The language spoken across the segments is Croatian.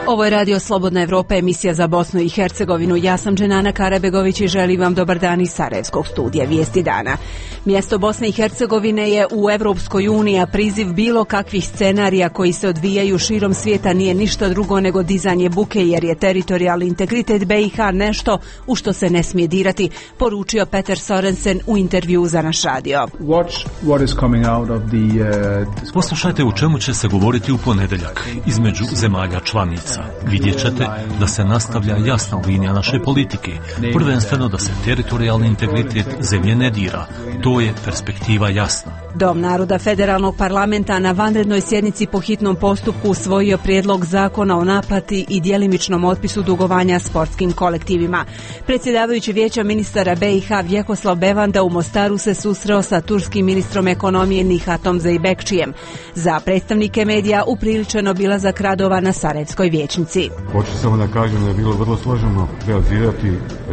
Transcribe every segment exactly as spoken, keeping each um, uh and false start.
Ovo je Radio Slobodna Evropa, emisija za Bosnu i Hercegovinu. Ja sam Dženana Karabegović i želim vam dobar dan iz Sarajevskog studija Vijesti dana. Mjesto Bosne i Hercegovine je u Evropskoj uniji, a priziv bilo kakvih scenarija koji se odvijaju širom svijeta nije ništa drugo nego dizanje buke, jer je teritorijalni integritet B i H nešto u što se ne smije dirati, poručio Peter Sorensen u intervju za naš radio. Poslušajte u čemu će se govoriti u ponedjeljak između zemalja članica. Vidjet ćete da se nastavlja jasna linija naše politike, prvenstveno da se teritorijalni integritet zemlje ne dira. To je perspektiva jasna. Dom naroda Federalnog parlamenta na vanrednoj sjednici po hitnom postupku usvojio prijedlog zakona o naplati i djelimičnom otpisu dugovanja sportskim kolektivima. Predsjedavajući vijeća ministara B i H Vjekoslav Bevanda u Mostaru se susreo sa turskim ministrom ekonomije Nihatom Zeybekčijem. Za predstavnike medija upriličen obilazak radova na Sarajevskoj vijećnici. Hoću samo da kažem da je bilo vrlo složeno realizirati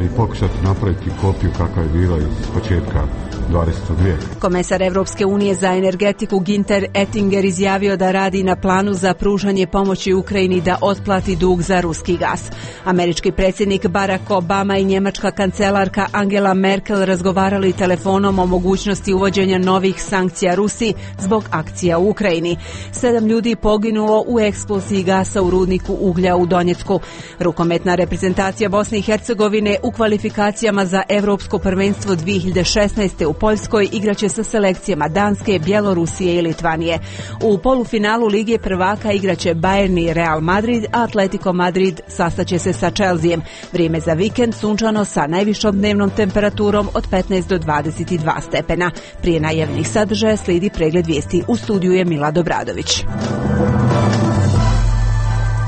i pokušati napraviti kopiju kakva je bila iz početka dvadesetog vijeka. Komesar Evropske unije za energetiku Günther Oettinger izjavio da radi na planu za pružanje pomoći Ukrajini da otplati dug za ruski gas. Američki predsjednik Barack Obama i njemačka kancelarka Angela Merkel razgovarali telefonom o mogućnosti uvođenja novih sankcija Rusiji zbog akcija u Ukrajini. Sedam ljudi poginulo u eksploziji gasa u rudniku uglja u Donjecku. Rukometna reprezentacija Bosne i Hercegovine u kvalifikacijama za Evropsko prvenstvo dvije hiljade šesnaeste u Poljskoj igraće sa selekcijama Danske, Bjelorusije i Litvanije. U polufinalu Lige prvaka igraće Bayern i Real Madrid, a Atletico Madrid sastaće se sa Chelseaem. Vrijeme za vikend sunčano sa najvišom dnevnom temperaturom od petnaest do dvadeset dva stepena. Prije najavljenih sadržaja slijedi pregled vijesti. U studiju je Mila Dobradović.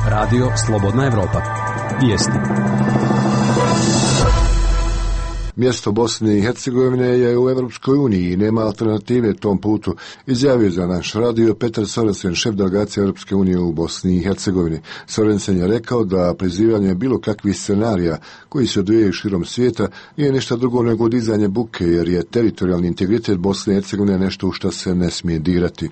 Radio Slobodna Evropa. Vijesti. Mjesto Bosne i Hercegovine je u Evropskoj uniji i nema alternative tom putu, izjavio za naš radio Peter Sorensen, šef delegacije Europske unije u Bosni i Hercegovini. Sorensen je rekao da prizivanje bilo kakvih scenarija koji se odvijaju širom svijeta nije ništa drugo nego dizanje buke, jer je teritorijalni integritet Bosne i Hercegovine nešto u što se ne smije dirati.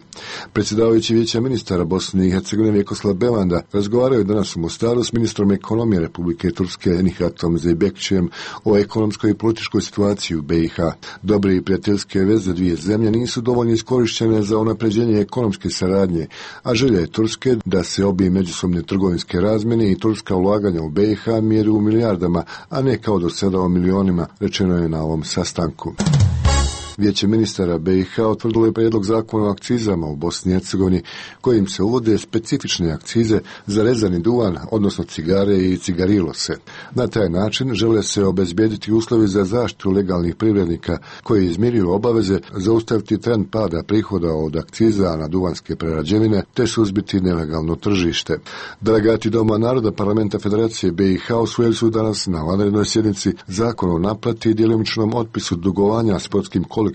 Predsjedavajući vijeća ministara Bosne i Hercegovine Vjekoslav Bevanda razgovaraju danas u Mostaru s ministrom ekonomije Republike Turske Nihatom Zeybekčijem o ekonomskoj i političkoj situaciji u B i H. Dobre i prijateljske veze dvije zemlje nisu dovoljno iskorištene za unapređenje ekonomske saradnje, a želja je Turske da se obje međusobne trgovinske razmjene i turska ulaganja u B i H mjeri u milijardama, a ne kao do sada o milionima, rečeno je na ovom sastanku. Vijeće ministara B i H otvrdilo je prijedlog zakona o akcizama u Bosni i Hercegovini, kojim se uvode specifične akcize za rezani duvan, odnosno cigare i cigarilose. Na taj način žele se obezbijediti uslovi za zaštitu legalnih privrednika koji izmiruju obaveze, zaustaviti trend pada prihoda od akciza na duvanske prerađevine te suzbiti nelegalno tržište. Delegati Doma naroda Parlamenta Federacije B i H usvojili su danas na vanrednoj sjednici zakon o naplati i djelimičnom otpisu dugovanja sportskim kolektivima,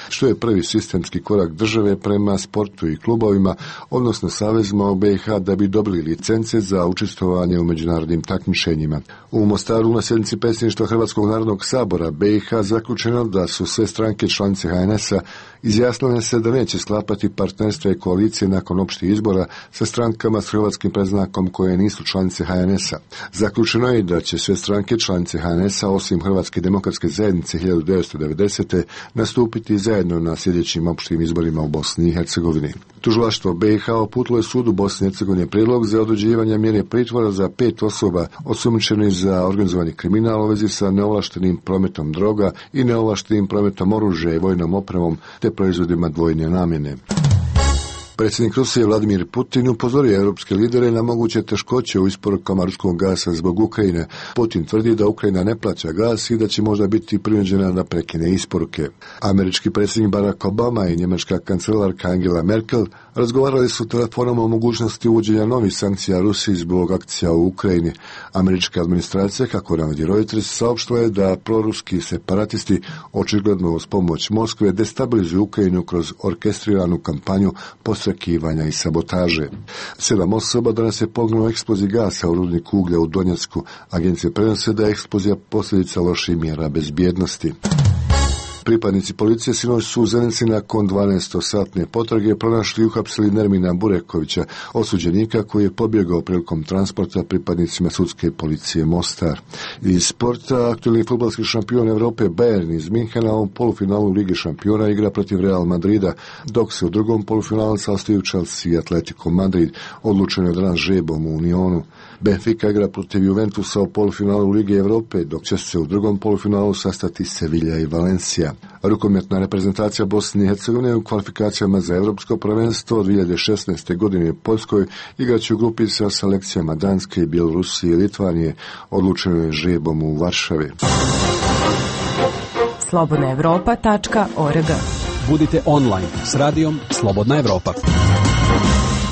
što je prvi sistemski korak države prema sportu i klubovima, odnosno savezima u B i H da bi dobili licence za učestvovanje u međunarodnim takmičenjima. U Mostaru na sjednici predsjedništva Hrvatskog narodnog sabora B i H zaključeno da su sve stranke članice H N S-a izjasnile se da neće sklapati partnerstva i koalicije nakon opštih izbora sa strankama s hrvatskim predznakom koje nisu članice H N S-a. Zaključeno je da će sve stranke članice H N S-a osim Hrvatske demokratske zajednice hiljadu devetsto devedesete nastupiti zajedno na sljedećim opštim izborima u Bosni i Hercegovini. Tužilaštvo B i H uputilo je sudu Bosne i Hercegovine prijedlog za određivanje mjere pritvora za pet osoba osumnjičenih za organizovani kriminal u vezi sa neovlaštenim prometom droga i neovlaštenim prometom oružja i vojnom opremom te proizvodima dvojne namjene. Predsjednik Rusije Vladimir Putin upozorio europske lidere na moguće teškoće u isporukama ruskog gasa zbog Ukrajine. Putin tvrdi da Ukrajina ne plaća gas i da će možda biti prinuđena da prekine isporuke. Američki predsjednik Barack Obama i njemačka kancelarka Angela Merkel razgovarali su telefonom o mogućnosti uvođenja novih sankcija Rusiji zbog akcija u Ukrajini. Američka administracija, kako navodi Reuters, saopštila je da proruski separatisti očigledno uz pomoć Moskve destabilizuju Ukrajinu kroz orkestriranu kampanju posrekivanja i sabotaže. Sedam osoba danas je poginulo u eksploziji gasa u rudniku uglja u Donjecku. Agencije prenose da je eksplozija posljedica loših mjera bezbjednosti. Pripadnici policije sinoć su u Zenici nakon dvanaestosatne potrage pronašli i uhapsili Nermina Burekovića, osuđenika koji je pobjegao prilikom transporta pripadnicima sudske policije Mostar. Iz sporta, aktualni fudbalski šampion Evrope Bayern iz Minhena u polufinalu Lige šampiona igra protiv Real Madrida, dok se u drugom polufinalu sastaju Chelsea i Atletico Madrid, odlučeno je danas žrebom u Unionu. Benfica igra protiv Juventusa u polufinalu Lige Evrope, dok će se u drugom polufinalu sastati Sevilla i Valencia. Rukometna reprezentacija Bosne i Hercegovine u kvalifikacijama za Evropsko prvenstvo dvije hiljade šesnaeste. godine u Poljskoj igraće u grupi sa selekcijama Danske, Bjelorusije i Litvanije, odlučeno je žrebom u Varšavi. slobodna evropa tačka org. Budite online s radijom Slobodna Evropa.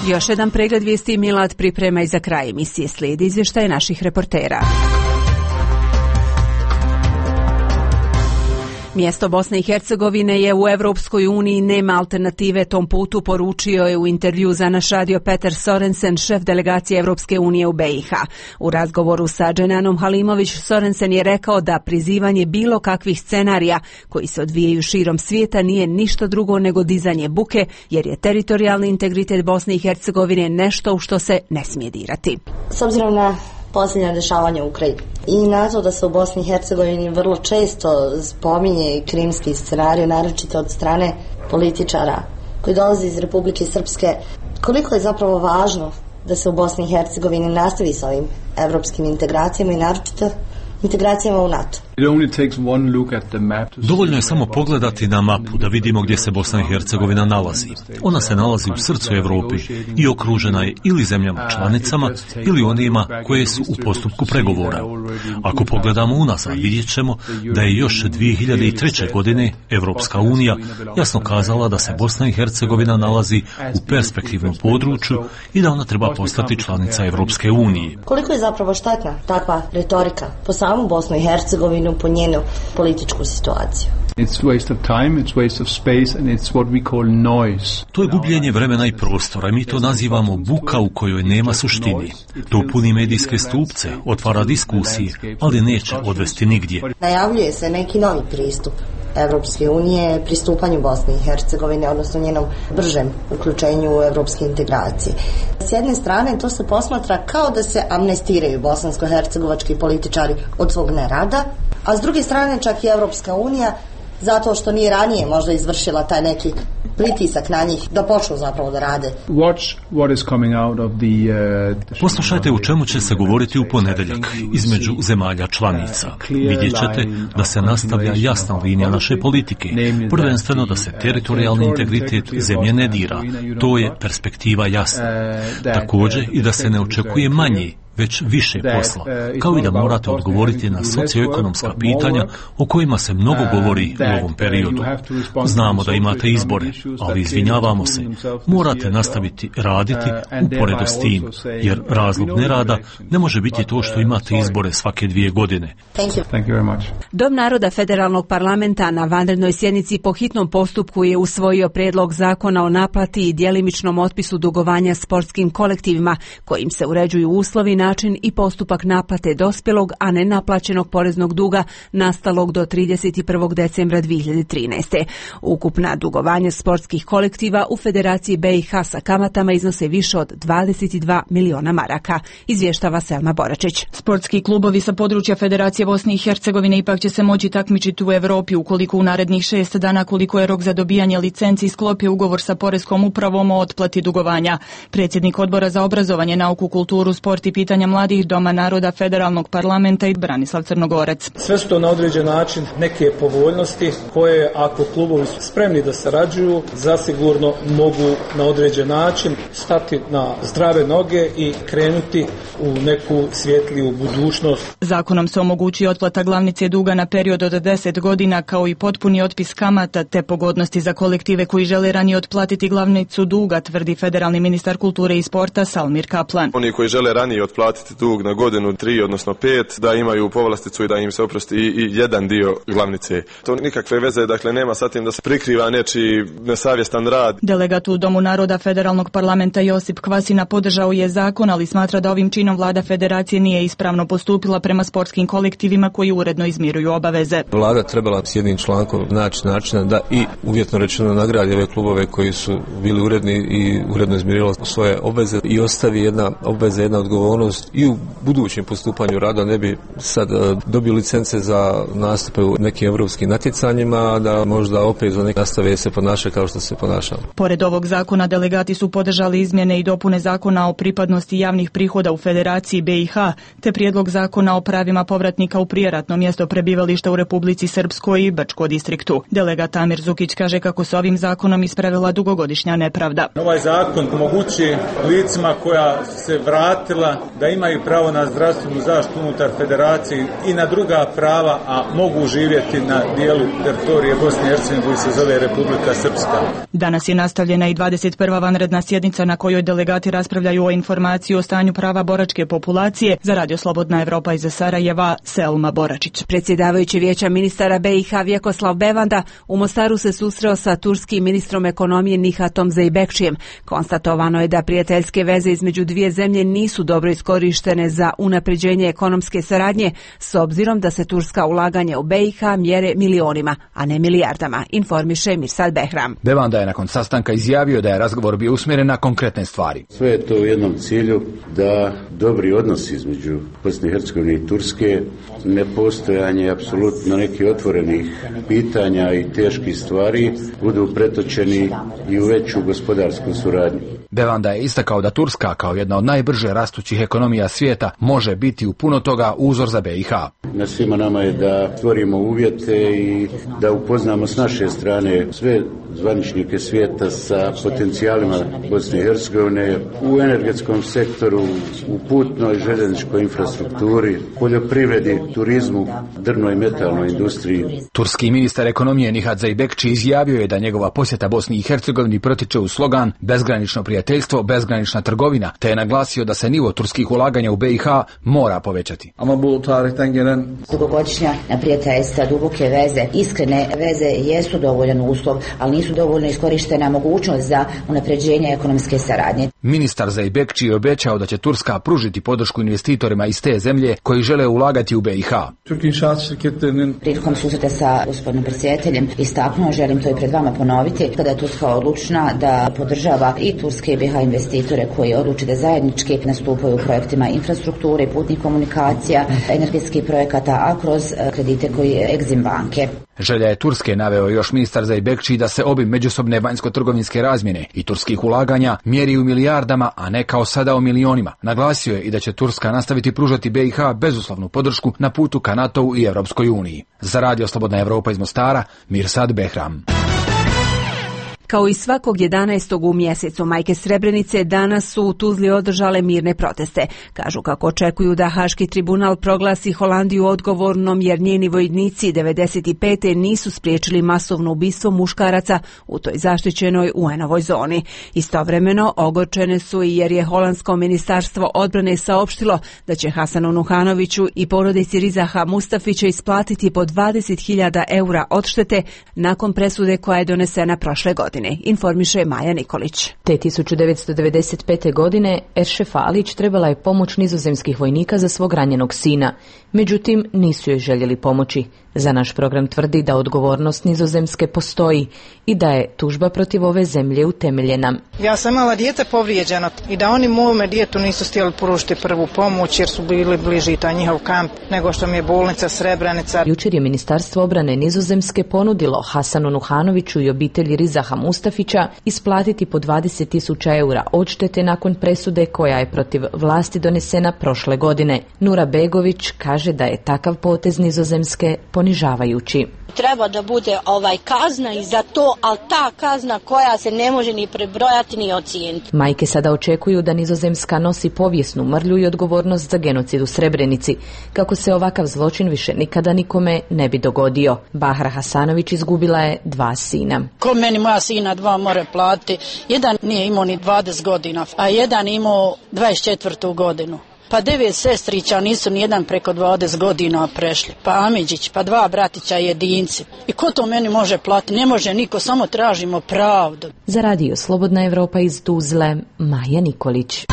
Još jedan pregled vijesti Milad priprema i za kraj emisije slijedi izvještaje naših reportera. Mjesto Bosne i Hercegovine je u Evropskoj uniji, nema alternative tom putu, poručio je u intervju za naš radio Petar Sorensen, šef delegacije Evropske unije u B i H. U razgovoru sa Dženanom Halimović, Sorensen je rekao da prizivanje bilo kakvih scenarija koji se odvijaju širom svijeta nije ništa drugo nego dizanje buke, jer je teritorijalni integritet Bosne i Hercegovine nešto u što se ne smije dirati. S obzirom na posljednja dešavanja u Ukrajini i na to da se u Bosni i Hercegovini vrlo često spominje krimski scenarij, naročito od strane političara koji dolaze iz Republike Srpske, koliko je zapravo važno da se u Bosni i Hercegovini nastavi sa ovim evropskim integracijama i naročito integracijama u NATO. Dovoljno je samo pogledati na mapu da vidimo gdje se Bosna i Hercegovina nalazi. Ona se nalazi u srcu Europe i okružena je ili zemljama članicama ili onima koje su u postupku pregovora. Ako pogledamo unazad, vidjet ćemo da je još dvije hiljade treće. godine Evropska unija jasno kazala da se Bosna i Hercegovina nalazi u perspektivnom području i da ona treba postati članica Evropske unije. Koliko je zapravo štetna takva retorika po samu Bosnu i Hercegovinu, po njenu političku situaciju? It's waste of time, it's waste of space and it's what we call noise. To je gubljenje vremena i prostora i mi to nazivamo buka u kojoj nema suštini. To puni medijske stupce, otvara diskusije, ali neće odvesti nigdje. Najavljuje se neki novi pristup Evropske unije pristupanju Bosne i Hercegovine, odnosno njenom bržem uključenju u evropske integracije. S jedne strane to se posmatra kao da se amnestiraju bosansko-hercegovački političari od svog nerada, a s druge strane čak i Evropska unija zato što nije ranije možda izvršila taj neki pritisak na njih da počnu zapravo da rade. Watch what is coming out of the, uh, Poslušajte u čemu će se govoriti u ponedjeljak između zemalja članica. Vidjet ćete da se nastavlja jasna linija naše politike, prvenstveno da se teritorijalni integritet zemlje ne dira. To je perspektiva jasna. Također i da se ne očekuje manje, već više posla, kao i da morate odgovoriti na socioekonomska pitanja o kojima se mnogo govori u ovom periodu. Znamo da imate izbore, ali izvinjavamo se, morate nastaviti raditi uporedo s tim, jer razlog nerada ne može biti to što imate izbore svake dvije godine. Thank you. Thank you very much. Dom naroda Federalnog parlamenta na vanrednoj sjednici po hitnom postupku je usvojio prijedlog zakona o naplati i djelimičnom otpisu dugovanja sportskim kolektivima, kojim se uređuju uslovi, način i postupak naplate dospjelog, a ne naplaćenog poreznog duga nastalog do trideset prvog decembra dvije hiljade trinaeste. Ukupna dugovanja sportskih kolektiva u Federaciji B i H sa kamatama iznose više od dvadeset dva miliona maraka, izvještava Selma Boračić. Sportski klubovi sa područja Federacije Bosne i Hercegovine ipak će se moći takmičiti u Europi ukoliko u narednih šest dana, koliko je rok za dobijanje licenci, sklopi ugovor sa Poreskom upravom o otplati dugovanja. Predsjednik Odbora za obrazovanje, nauku, kulturu, sport i pitanja mladih Doma naroda Federalnog parlamenta i Branislav Crnogorac. Sve su to na određen način neke povoljnosti koje, ako klubovi su spremni da sarađuju, zasigurno mogu na određen način stati na zdrave noge i krenuti u neku svjetliju budućnost. Zakonom se omogućuje otplata glavnice duga na period od deset godina, kao i potpuni otpis kamata te pogodnosti za kolektive koji žele ranije otplatiti glavnicu duga, tvrdi federalni ministar kulture i sporta Salmir Kaplan. Oni koji žele ranije otplatiti otplatiti dug na godinu, tri, odnosno pet, da imaju povlasticu i da im se oprosti i, i jedan dio glavnice. To nikakve veze, dakle, nema sa tim da se prikriva nečiji nesavjestan rad. Delegat u Domu naroda Federalnog parlamenta Josip Kvasina podržao je zakon, ali smatra da ovim činom vlada federacije nije ispravno postupila prema sportskim kolektivima koji uredno izmiruju obaveze. Vlada trebala s jednim člankom naći načina da i uvjetno rečeno nagradi ove klubove koji su bili uredni i uredno izmirili svoje obveze i ostavi jedna obveza, jedna odgovornost i u budućem postupanju rada, ne bi sad dobio licence za nastupe u nekim evropskim natjecanjima, da možda opet za neke nastave se ponaša kao što se ponaša. Pored ovog zakona, delegati su podržali izmjene i dopune zakona o pripadnosti javnih prihoda u Federaciji B i H, te prijedlog zakona o pravima povratnika u prijeratno mjesto prebivališta u Republici Srpskoj i Brčko distriktu. Delegat Amir Zukić kaže kako se ovim zakonom ispravila dugogodišnja nepravda. Ovaj zakon omogućuje licima koja se vratila da imaju pravo na zdravstvenu zaštitu unutar federacije i na druga prava, a mogu živjeti na dijelu teritorije Bosne i Hercegovine koji se zove Republika Srpska. Danas je nastavljena i dvadeset prva vanredna sjednica na kojoj delegati raspravljaju o informaciji o stanju prava boračke populacije. Za Radio Slobodna Evropa iz Sarajeva, Selma Boračić. Predsjedavajući vijeća ministara B i H Vjekoslav Bevanda u Mostaru se susreo sa turskim ministrom ekonomije Nihatom Zeybekčijem. Konstatovano je da prijateljske veze između dvije zemlje nisu dobro iskorištene za unapređenje ekonomske saradnje, s obzirom da se turska ulaganja u B i H mjere milionima, a ne milijardama, informiše Mirsad Behram. Bevanda je nakon sastanka izjavio da je razgovor bio usmjeren na konkretne stvari. Sve je to u jednom cilju da dobri odnosi između Bosne i Hercegovine i Turske, nepostojanje apsolutno nekih otvorenih pitanja i teških stvari budu pretočeni i u veću gospodarsku suradnju. Bevanda je istakao da Turska, kao jedna od najbrže rastućih ekonomija svijeta, može biti u puno toga uzor za B i H. Na svima nama je da stvorimo uvjete i da upoznamo s naše strane sve zvaničnike svijeta sa potencijalima Bosne i Hercegovine u energetskom sektoru, u putnoj željezničkoj infrastrukturi, poljoprivredi, turizmu, drvnoj i metalnoj industriji. Turski ministar ekonomije Nihat Zeybekči izjavio je da njegova posjeta Bosni i Hercegovini protiče u slogan bezgranično prijateljstvo, bezgranična trgovina, te je naglasio da se nivo turskih ulaganja u B i H mora povećati. Dugogodišnja prijateljstva, duboke veze, iskrene veze jesu dovoljan uslov, ali nisu dovoljno iskorištena mogućnost za unapređenje ekonomske saradnje. Ministar Zeybekči je obećao da će Turska pružiti podršku investitorima iz te zemlje koji žele ulagati u B i H. Prilikom susreta sa gospodinom predsjedateljem istaknuo, želim to i pred vama ponoviti, kada je Turska odlučna da podržava i turske i B i H investitore koji odluče da zajednički nastupaju u projektima infrastrukture, putnih komunikacija, energetskih projekata, a kroz kredite koji Exim banke. Želja je Turske, naveo još ministar Zeybekči, da se obim međusobne vanjsko-trgovinske razmjene i turskih ulaganja mjeri u milijardama, a ne kao sada o milionima. Naglasio je i da će Turska nastaviti pružati B i H bezuslovnu podršku na putu ka NATO-u i Europskoj uniji. Za Radio Slobodna Evropa iz Mostara, Mirsad Behram. Kao i svakog jedanaestog u mjesecu, majke Srebrenice danas su u Tuzli održale mirne proteste. Kažu kako očekuju da Haški tribunal proglasi Holandiju odgovornom jer njeni vojnici devedeset pete nisu spriječili masovno ubistvo muškaraca u toj zaštićenoj U N-ovoj zoni. Istovremeno ogorčene su i jer je holandsko ministarstvo odbrane saopštilo da će Hasanu Nuhanoviću i porodici Rizaha Mustafića isplatiti po dvadeset hiljada eura odštete nakon presude koja je donesena prošle godine. Informiše Maja Nikolić. Te tisuću devetsto devedeset pete. godine Eršef Alić trebala je pomoć nizozemskih vojnika za svog ranjenog sina. Međutim, nisu joj željeli pomoći. Za naš program tvrdi da odgovornost Nizozemske postoji i da je tužba protiv ove zemlje utemeljena. Ja sam imala dijete povrijeđeno i da oni mome djetu nisu htjeli pružiti prvu pomoć jer su bili bliži taj njihov kamp nego što mi je bolnica Srebrenica. Jučer je Ministarstvo obrane Nizozemske ponudilo Hasanu Nuhanoviću i obitelji Rizaha Mustafića isplatiti po dvadeset tisuća eura odštete nakon presude koja je protiv vlasti donesena prošle godine. Nura Begović kaže da je takav potez Nizozemske ponižavajući. Treba da bude ovaj kazna i za to, ali ta kazna koja se ne može ni prebrojati ni ocijeniti. Majke sada očekuju da Nizozemska nosi povijesnu mrlju i odgovornost za genocid u Srebrenici, kako se ovakav zločin više nikada nikome ne bi dogodio. Bahra Hasanović izgubila je dva sina. Ko meni moja sina dva more platiti? Jedan nije imao ni dvadeset godina, a jedan imao dvadeset četvrtu godinu. Pa devet sestrića, nisu nijedan preko dvadeset godina prešli. Pa Amidžić, pa dva bratića jedinci. I ko to meni može platiti? Ne može niko, samo tražimo pravdu. Za radio Slobodna Evropa iz Tuzle, Maja Nikolić.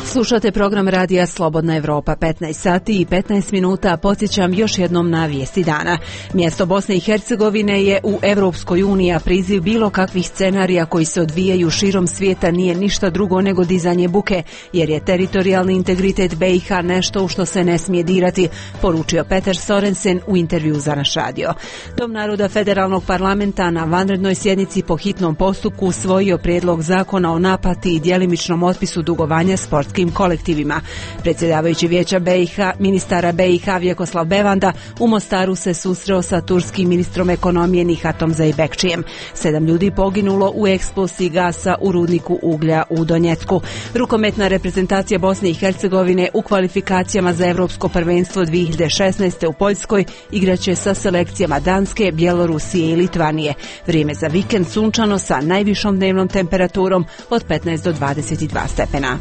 Slušate program radija Slobodna Evropa, petnaest sati i petnaest minuta. Podsjećam još jednom na vijesti dana. Mjesto Bosne i Hercegovine je u Evropskoj uniji, a priziv bilo kakvih scenarija koji se odvijaju širom svijeta nije ništa drugo nego dizanje buke, jer je teritorijalni integritet B i H nešto u što se ne smije dirati, poručio Peter Sorensen u intervju za naš radio. Dom naroda Federalnog parlamenta na vanrednoj sjednici po hitnom postupku usvojio prijedlog zakona o naplati i djelimičnom otpisu dugovanja sportskim kolektivima. Predsjedavajući vijeća B i H, ministara B i H Vjekoslav Bevanda u Mostaru se susreo sa turskim ministrom ekonomije Nihatom Zeybekčijem. Sedam ljudi poginulo u eksploziji gasa u rudniku uglja u Donjecku. Rukometna reprezentacija Bosne i Hercegovine u kvalifikacijama za Europsko prvenstvo dvije hiljade šesnaeste u Poljskoj igraće sa selekcijama Danske, Bjelorusije i Litvanije. Vrijeme za vikend sunčano sa najvišom dnevnom temperaturom od petnaest do dvadeset dva stepena.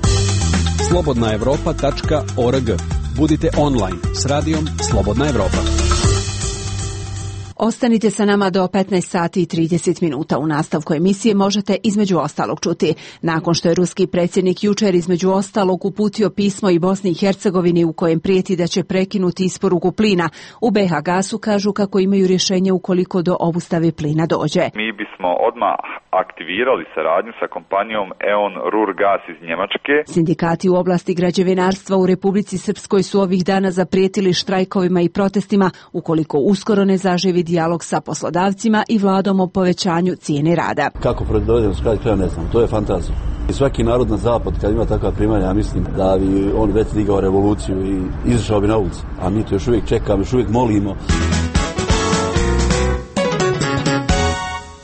slobodna evropa tačka org. Budite online s radijom Slobodna Evropa. Ostanite sa nama do petnaest sati i trideset minuta. U nastavku emisije možete između ostalog čuti. Nakon što je ruski predsjednik jučer između ostalog uputio pismo i Bosni i Hercegovini u kojem prijeti da će prekinuti isporuku plina, u B H Gasu kažu kako imaju rješenje ukoliko do obustave plina dođe. Mi bismo odmah aktivirali saradnju sa kompanijom E O N Ruhrgas iz Njemačke. Sindikati u oblasti građevinarstva u Republici Srpskoj su ovih dana zaprijetili štrajkovima i protestima ukoliko uskoro ne zaživi dijalog sa poslodavcima i vladom o povećanju cijene rada. Kako dođemo s kraj kraja ne znam, to je fantazija. I svaki narod na zapad kad ima takva primanja, ja mislim da bi on već digao revoluciju i izašao bi na ulicu. A mi to još uvijek čekamo, još uvijek molimo.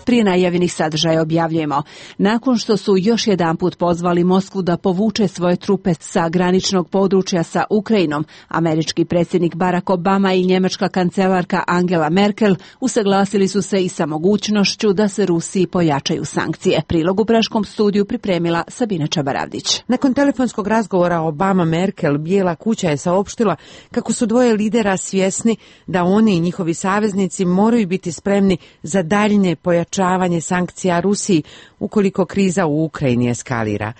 Prije najavljenih sadržaja objavljujemo. Nakon što su još jedanput pozvali Moskvu da povuče svoje trupe sa graničnog područja sa Ukrajinom, američki predsjednik Barack Obama i njemačka kancelarka Angela Merkel usaglasili su se i sa mogućnošću da se Rusiji pojačaju sankcije. Prilog u praškom studiju pripremila Sabina Čabaravdić. Nakon telefonskog razgovora Obama-Merkel, Bijela kuća je saopštila kako su dvoje lidera svjesni da oni i njihovi saveznici moraju biti spremni za daljnje pojačavanje sankcija Rusiji ukoliko kriza u Ukrajini eskalira.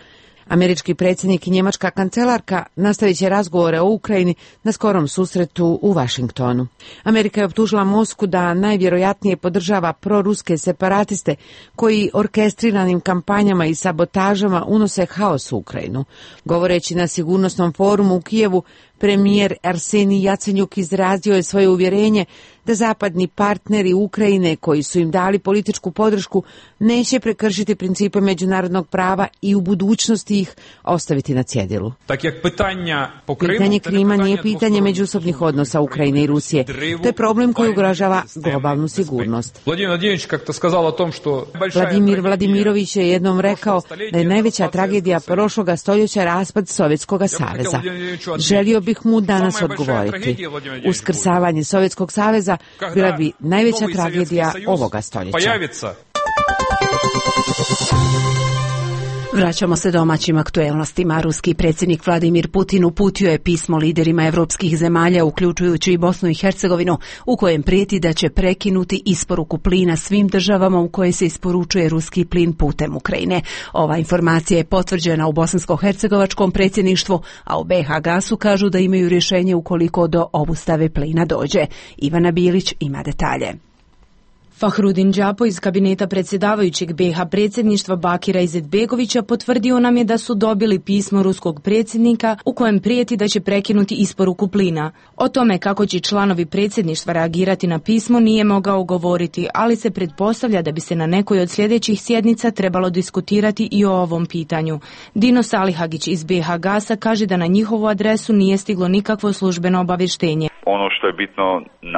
Američki predsjednik i njemačka kancelarka nastavit će razgovore o Ukrajini na skorom susretu u Vašingtonu. Amerika je optužila Moskvu da najvjerojatnije podržava proruske separatiste koji orkestriranim kampanjama i sabotažama unose haos u Ukrajinu. Govoreći na sigurnosnom forumu u Kijevu, premijer Arsenij Jacenjuk izrazio je svoje uvjerenje da zapadni partneri Ukrajine koji su im dali političku podršku neće prekršiti principe međunarodnog prava i u budućnosti ih ostaviti na cjedilu. Pitanje Krima nije pitanje međusobnih odnosa Ukrajine i Rusije. To je problem koji ugrožava globalnu sigurnost. Vladimir Vladimirović je jednom rekao da je najveća tragedija prošloga stoljeća raspad Sovjetskog saveza. Želio bih mu danas odgovoriti. Uskrsavanje Sovjetskog saveza bila bi najveća tragedija ovoga stoljeća. Vraćamo se domaćim aktuelnostima. Ruski predsjednik Vladimir Putin uputio je pismo liderima evropskih zemalja, uključujući i Bosnu i Hercegovinu, u kojem prijeti da će prekinuti isporuku plina svim državama u koje se isporučuje ruski plin putem Ukrajine. Ova informacija je potvrđena u bosansko-hercegovačkom predsjedništvu, a u B H Gasu kažu da imaju rješenje ukoliko do obustave plina dođe. Ivana Bilić ima detalje. Fahrudin Džapo iz kabineta predsjedavajućeg B H predsjedništva Bakira Izetbegovića potvrdio nam je da su dobili pismo ruskog predsjednika u kojem prijeti da će prekinuti isporuku plina. O tome kako će članovi predsjedništva reagirati na pismo nije mogao govoriti, ali se pretpostavlja da bi se na nekoj od sljedećih sjednica trebalo diskutirati i o ovom pitanju. Dino Salihagić iz B H Gasa kaže da na njihovu adresu nije stiglo nikakvo službeno obavještenje. Ono što je bitno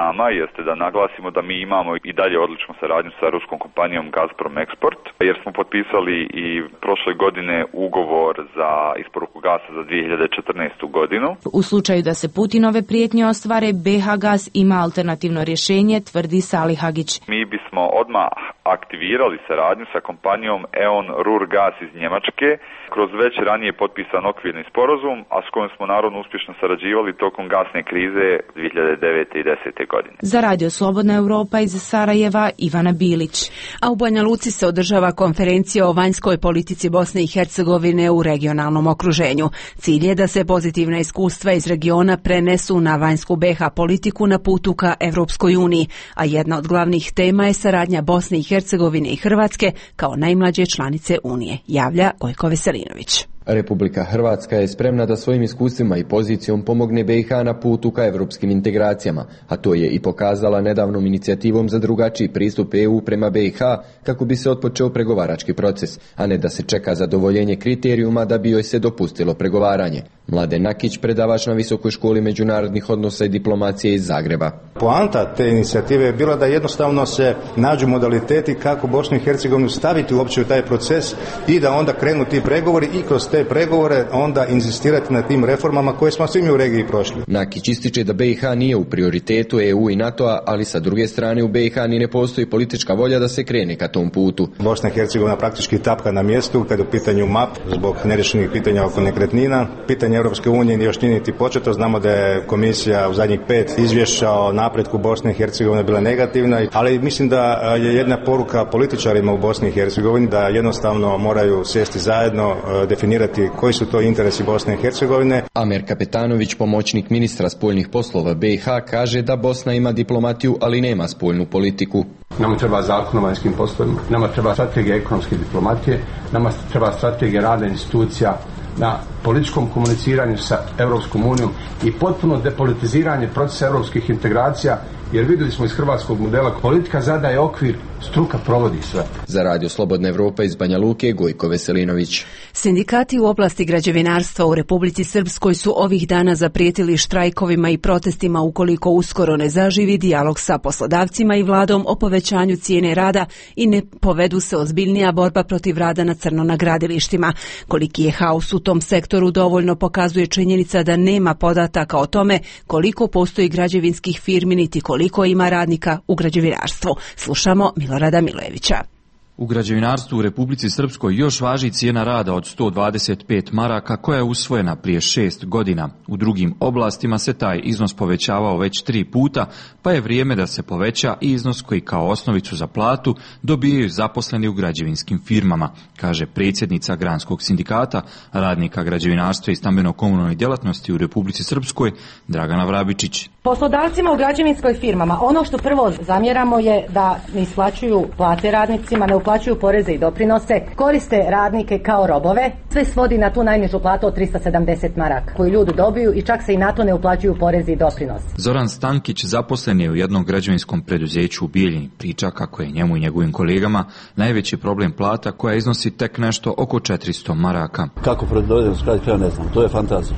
nama jeste da naglasimo da mi imamo i dalje odličnu saradnju sa ruskom kompanijom Gazprom Export, jer smo potpisali i prošle godine ugovor za isporuku gasa za dvije hiljade četrnaestu godinu. U slučaju da se Putinove prijetnje ostvare, B H Gas ima alternativno rješenje, tvrdi Salihagić. Mi bismo odmah aktivirali saradnju sa kompanijom E.ON Ruhrgas iz Njemačke kroz već ranije potpisan okvirni sporazum, a s kojim smo naravno uspješno sarađivali tokom gasne krize dvije hiljade devete i desete godine. Za Radio Slobodna Europa iz Sarajeva Ivana Bilić. A u Banja Luci se održava konferencija o vanjskoj politici Bosne i Hercegovine u regionalnom okruženju. Cilj je da se pozitivna iskustva iz regiona prenesu na vanjsku B iH politiku na putu ka Evropskoj uniji, a jedna od glavnih tema je saradnja Bosne i Hercegovine i Hrvatske kao najmlađe članice Unije, javlja Gojko Veselinović. Republika Hrvatska je spremna da svojim iskustvima i pozicijom pomogne B iH na putu ka evropskim integracijama, a to je i pokazala nedavnom inicijativom za drugačiji pristup E U prema B iH kako bi se otpočeo pregovarački proces, a ne da se čeka zadovoljenje kriterijuma da bi joj se dopustilo pregovaranje. Mladen Nakić, predavač na Visokoj školi međunarodnih odnosa i diplomacije iz Zagreba. Poanta te inicijative je bila da jednostavno se nađu modaliteti kako Bosnu i Hercegovinu staviti uopće u taj proces i da onda krenu ti pregovori i kroz te pregovore onda inzistirati na tim reformama koje smo svi mi u regiji prošli. Nakić ističe da B iH nije u prioritetu E U i NATO-a, ali sa druge strane u B iH ni ne postoji politička volja da se krene ka tom putu. Bosna i Hercegovina praktički tapka na mjestu kada je u pitanju M A P zbog nerješenih pitanja oko nekretnina. Pitanje Europske unije još nije niti početo. Znamo da je komisija u zadnjih pet izvješća o napretku Bosne i Hercegovine bila negativna, ali mislim da je jedna poruka političarima u Bosni i Hercegovini da jednostavno moraju sjesti zajedno, definirati koji su to interesi Bosne i Hercegovine. Amer Kapetanović, pomoćnik ministra spoljnih poslova B iH, kaže da Bosna ima diplomatiju, ali nema spoljnu politiku. Nama treba zakon o vanjskim poslovima, nama treba strategija ekonomske diplomatije, nama treba strategija rada institucija na političkom komuniciranju sa Europskom unijom i potpuno depolitiziranje procesa europskih integracija, jer vidjeli smo iz hrvatskog modela, politika zadaje okvir, struka provodi sve. Za Radio Slobodna Evropa iz Banja Luke, Gojko Veselinović. Sindikati u oblasti građevinarstva u Republici Srpskoj su ovih dana zaprijetili štrajkovima i protestima ukoliko uskoro ne zaživi dijalog sa poslodavcima i vladom o povećanju cijene rada i ne povedu se ozbiljnija borba protiv rada na crno na gradilištima. Koliki je haos u tom sektoru dovoljno pokazuje činjenica da nema podataka o tome koliko postoji građevinskih firmi niti koliko ima radnika u građevinarstvu. Slušamo Milorada Milojevića. U građevinarstvu u Republici Srpskoj još važi cijena rada od sto dvadeset pet maraka koja je usvojena prije šest godina. U drugim oblastima se taj iznos povećavao već tri puta, pa je vrijeme da se poveća i iznos koji kao osnovicu za platu dobijaju zaposleni u građevinskim firmama, kaže predsjednica Granskog sindikata radnika građevinarstva i stambeno-komunalne djelatnosti u Republici Srpskoj, Dragana Vrabičić. Poslodavcima u građevinskoj firmama ono što prvo zamjeramo je da ne isplaćuju plate radnicima, ne uplaćuju poreze i doprinose, koriste radnike kao robove, sve svodi na tu najnižu platu od trista sedamdeset maraka koju ljudi dobiju i čak se i na to ne uplaćuju porezi i doprinose. Zoran Stankić zaposlen je u jednom građevinskom preduzeću u Bijeljini. Priča kako je njemu i njegovim kolegama najveći problem plata koja iznosi tek nešto oko četiristo maraka. Kako dovedemo s kraja, ne znam, to je fantazija.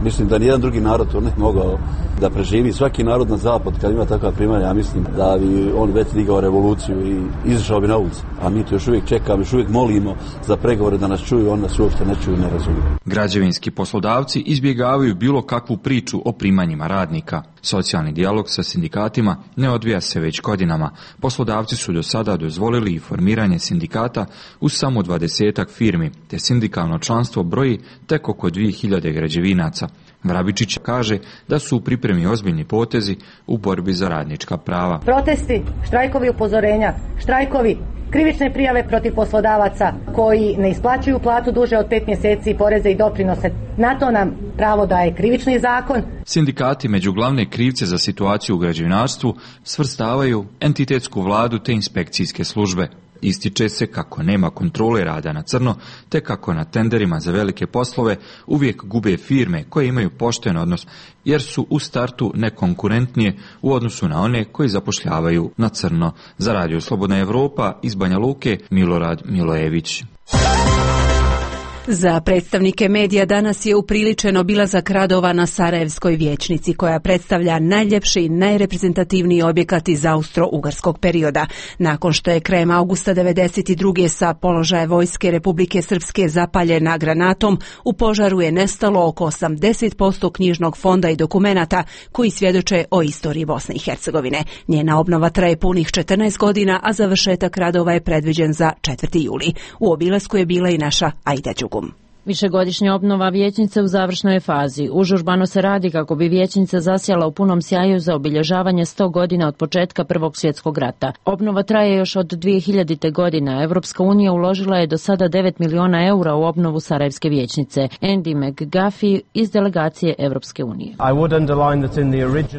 Mislim da nijedan drugi narod to ne mogao da preživi. Svaki narod na zapad kad ima takva primanja, ja mislim da bi on već digao revoluciju i izašao bi na ulicu. A mi to još uvijek čekamo, još uvijek molimo za pregovore da nas čuju, on nas uopšte ne čuju, ne razumiju. Građevinski poslodavci izbjegavaju bilo kakvu priču o primanjima radnika. Socijalni dijalog sa sindikatima ne odvija se već godinama. Poslodavci su do sada dozvolili i formiranje sindikata u samo dvadesetak firmi, te sindikalno članstvo broji tek oko dvije hiljade građevinaca. Vrabičić kaže da su u pripremi ozbiljni potezi u borbi za radnička prava. Protesti, štrajkovi upozorenja, štrajkovi, krivične prijave protiv poslodavaca koji ne isplaćuju platu duže od pet mjeseci, poreze i doprinose. Na to nam pravo daje krivični zakon. Sindikati među glavne krivce za situaciju u građevinarstvu svrstavaju entitetsku vladu te inspekcijske službe. Ističe se kako nema kontrole rada na crno, te kako na tenderima za velike poslove uvijek gube firme koje imaju pošten odnos, jer su u startu nekonkurentnije u odnosu na one koji zapošljavaju na crno. Za Radio Slobodna Evropa iz Banja Luke, Milorad Milojević. Za predstavnike medija danas je upriličen obilazak radova na Sarajevskoj vijećnici, koja predstavlja najljepši i najreprezentativniji objekat iz austro-ugarskog perioda. Nakon što je krajem augusta devedeset druge sa položaja vojske Republike Srpske zapaljena granatom, u požaru je nestalo oko osamdeset posto knjižnog fonda i dokumenata koji svjedoče o istoriji Bosne i Hercegovine. Njena obnova traje punih četrnaest godina, a završetak radova je predviđen za četvrti juli. U obilasku je bila i naša Aida Đugum. Višegodišnja obnova vijećnice u završnoj je fazi. Užurbano se radi kako bi vijećnica zasjala u punom sjaju za obilježavanje sto godina od početka Prvog svjetskog rata. Obnova traje još od dvije hiljadite. godine. Evropska unija uložila je do sada devet miliona eura u obnovu Sarajevske vijećnice. Andy McGuffey iz delegacije Evropske unije.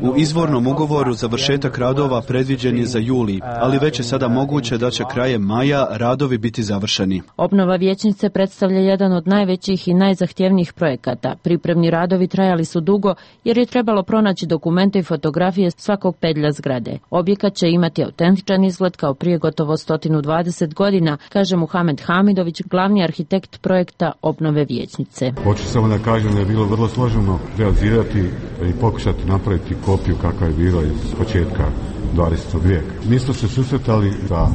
U izvornom ugovoru završetak radova predviđen je za juli, ali već je sada moguće da će krajem maja radovi biti završeni. Obnova vijećnice predstavlja jedan od najvećih većih i najzahtjevnijih projekata. Pripremni radovi trajali su dugo jer je trebalo pronaći dokumente i fotografije svakog pedlja zgrade. Objekat će imati autentičan izgled kao prije gotovo sto dvadeset godina, kaže Muhamed Hamidović, glavni arhitekt projekta obnove vijećnice. Hoću samo da kažem da je bilo vrlo složeno realizirati i pokušati napraviti kopiju kakva je bila iz početka dvadesetog vijeka. Mi smo se susretali sa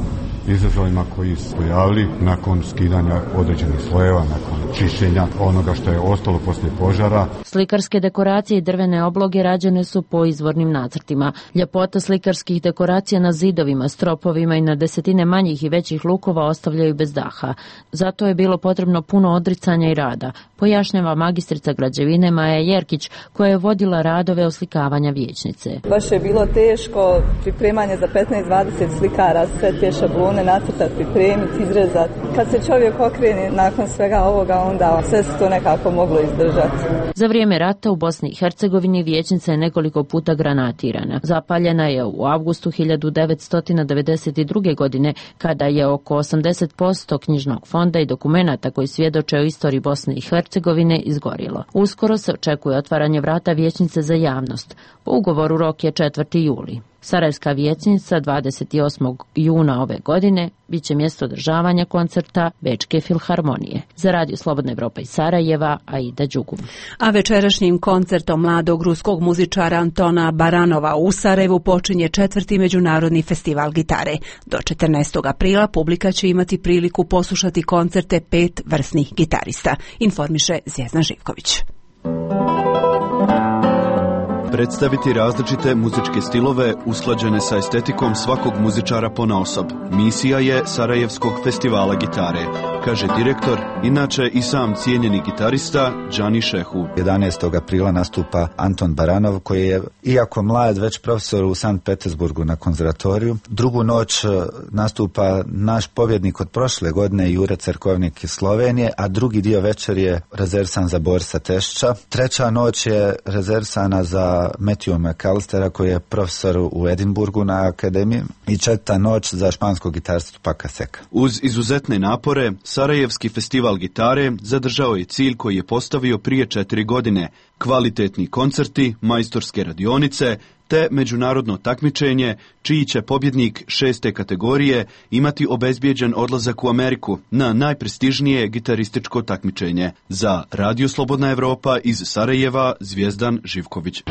izazovima koji su pojavili nakon skidanja određenih slojeva, nakon čišćenja onoga što je ostalo poslije požara. Slikarske dekoracije i drvene obloge rađene su po izvornim nacrtima. Ljepota slikarskih dekoracija na zidovima, stropovima i na desetine manjih i većih lukova ostavljaju bez daha. Zato je bilo potrebno puno odricanja i rada, pojašnjava magistrica građevine Maja Jerkić, koja je vodila radove oslikavanja vijećnice. Baš je bilo teško pripremanje za petnaest dvadeset slikara, sve te šablone nacrtati, pripremiti, izrezati. Kad se čovjek okrene nakon svega ovoga, onda sve se to nekako moglo izdržati. Za vrijeme rata u Bosni i Hercegovini vijećnica je nekoliko puta granatirana. Zapaljena je u avgustu hiljadu devetsto devedeset druge. godine, kada je oko osamdeset posto knjižnog fonda i dokumenata koji svjedoče o istoriji Bosne i Hercegovine izgorilo. Uskoro se očekuje otvaranje vrata vijećnice za javnost. Po ugovoru rok je četvrti juli. Sarajevska vijećnica dvadeset osmog juna ove godine bit će mjesto održavanja koncerta Bečke filharmonije. Za Radio Slobodna Evropa iz Sarajeva, Aida Đugum. A večerašnjim koncertom mladog ruskog muzičara Antona Baranova u Sarajevu počinje četvrti međunarodni festival gitare. Do četrnaestog aprila publika će imati priliku poslušati koncerte pet vrsnih gitarista, informiše Zvjezdan Živković. Predstaviti različite muzičke stilove usklađene sa estetikom svakog muzičara ponaosob. Misija je Sarajevskog festivala gitare, kaže direktor, inače i sam cijenjeni gitarista Džani Šehu. jedanaestog aprila nastupa Anton Baranov, koji je, iako mlad, već profesor u Sankt Petersburgu na konzervatoriju. Drugu noć nastupa naš pobjednik od prošle godine, Jure Cerkovnik iz Slovenije, a drugi dio večer je rezervisan za Borisa Tešća. Treća noć je rezervisana za Matthew McAllistera, koji je profesor u Edinburgu na akademiji, i četvrta noć za španskog gitaristu Paka Seka. Uz izuzetne napore, Sarajevski festival gitare zadržao je cilj koji je postavio prije četiri godine. Kvalitetni koncerti, majstorske radionice, te međunarodno takmičenje, čiji će pobjednik šeste kategorije imati obezbijeđen odlazak u Ameriku na najprestižnije gitarističko takmičenje. Za Radio Slobodna Evropa iz Sarajeva, Zvjezdan Živković.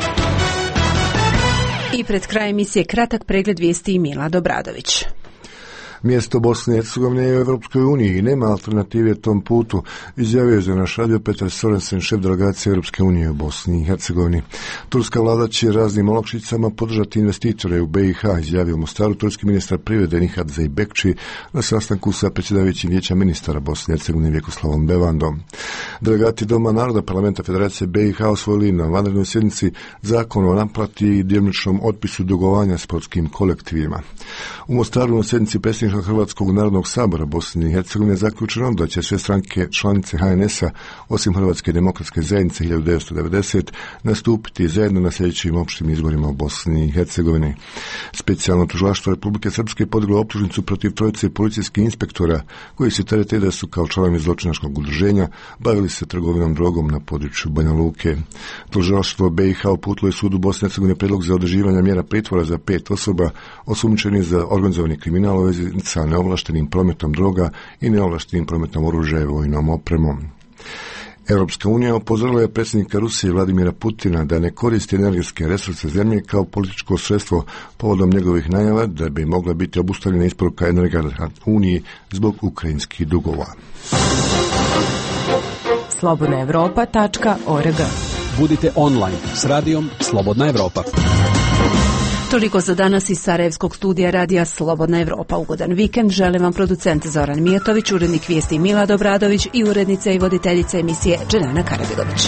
I pred krajem emisije kratak pregled vijesti Mila Dobradović. Mjesto Bosne i Hercegovine je u Europskoj uniji i nema alternative tom putu, izjavio je za naš radio Petar Sorensen, šef delegacije Europske unije u Bosni i Hercegovini. Turska vlada će raznim olakšicama podržati investitore u be i ha, izjavio u Mostaru turski ministar privrede Nihat Zeybekci na sastanku sa predsjedavajućim vijeća ministara Bosne i Hercegovine Vjekoslavom Bevandom. Delegati Doma naroda parlamenta Federacije be i ha osvojili na vanrednoj sjednici zakon o naplati i djelomičnom otpisu dugovanja sportskim kolektivima. U Mostaru na sjednici predsjednika Hrvatskog narodnog sabora Bosne i Hercegovine zaključeno da će sve stranke članice ha en es a, osim Hrvatske demokratske zajednice hiljadu devetsto devedeset, nastupiti zajedno na sljedećim opštim izborima u Bosni i Hercegovini. Specijalno tužilaštvo Republike Srpske podiglo optužnicu protiv trojice policijskih inspektora koji se terete da su kao članovi zločinačkog udruženja bavili se trgovinom drogom na području Banja Luke. Tužilaštvo be i ha uputilo je sudu Bosne i Hercegovine predlog za određivanje mjera pritvora za pet osoba osumnjičenih za organizovani kriminal u vezi sa neovlaštenim prometom droga i neovlaštenim prometom oružja i vojnom opremom. Europska unija upozorila je predsjednika Rusije Vladimira Putina da ne koristi energetske resurse zemlje kao političko sredstvo povodom njegovih najava da bi mogla biti obustavljena isporuka energenata Uniji zbog ukrajinskih dugova. slobodna evropa tačka org. Budite online s radijom Slobodna Evropa. Toliko za danas iz Sarajevskog studija radija Slobodna Evropa. Ugodan vikend želim vam producent Zoran Mijatović, urednik vijesti Milad Obradović i urednica i voditeljica emisije Dženana Karabilović.